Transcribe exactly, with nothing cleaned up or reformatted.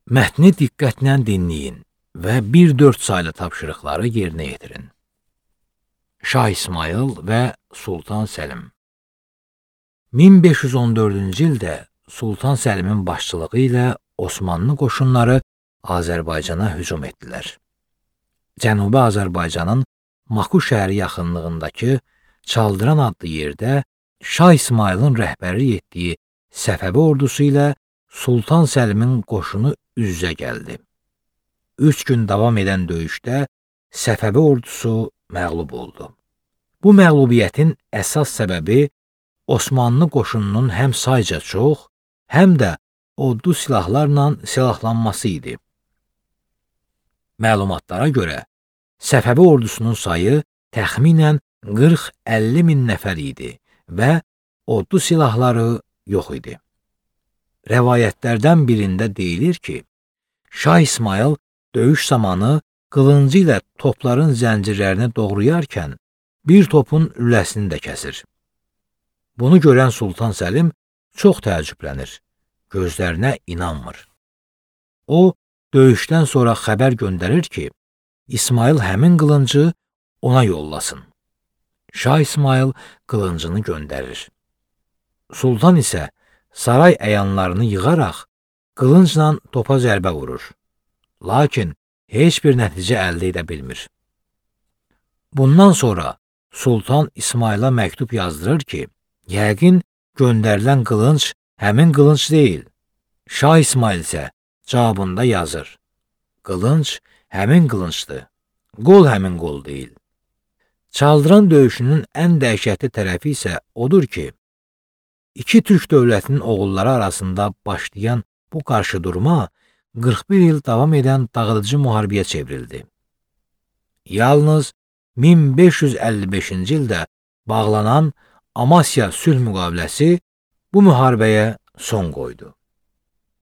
Mətni diqqətlə dinləyin və bir dörd saylı tapşırıqları yerinə yetirin. Şah İsmayıl və Sultan Səlim. min beş yüz on dördüncü ildə Sultan Səlimin başçılığı ilə Osmanlı qoşunları Azərbaycana hücum etdilər. Cənubi Azərbaycanın Maku şəhəri yaxınlığındakı Çaldıran adlı yerdə Şah İsmayılın rəhbərlik etdiyi Səfəvi ordusu ilə Sultan Səlimin qoşunu üz-üzə gəldi. Üç gün davam edən döyüşdə Səfəvi ordusu məğlub oldu. Bu məğlubiyyətin əsas səbəbi Osmanlı qoşununun həm sayca çox, həm də odlu silahlarla silahlanması idi. Məlumatlara görə, Səfəvi ordusunun sayı təxminən qırx əlli min nəfər idi və odlu silahları yox idi. Rəvayətlərdən birində deyilir ki, Şah İsmayıl döyüş zamanı qılıncı ilə topların zəncirlərini doğrayarkən bir topun lüləsini də kəsir. Bunu görən Sultan Səlim çox təəccüblənir, gözlərinə inanmır. O, döyüşdən sonra xəbər göndərir ki, İsmayıl həmin qılıncı ona yollasın. Şah İsmayıl qılıncını göndərir. Sultan isə saray əyanlarını yığaraq qılıncla topa zərbə vurur. Lakin heç bir nəticə əldə edə bilmir. Bundan sonra Sultan İsmayıla məktub yazdırır ki, yəqin göndərilən qılınc həmin qılınc deyil. Şah İsmayıl isə cavabında yazır: qılınc həmin qılıncdır, qol həmin qol deyil. Çaldıran döyüşünün ən dəhşətli tərəfi isə odur ki, İki türk dövlətinin oğulları arasında başlayan bu qarşıdurma qırx bir il davam edən dağıdıcı müharibəyə çevrildi. Yalnız min beş yüz əlli beşinci ildə bağlanan Amasya sülh müqaviləsi bu müharibəyə son qoydu.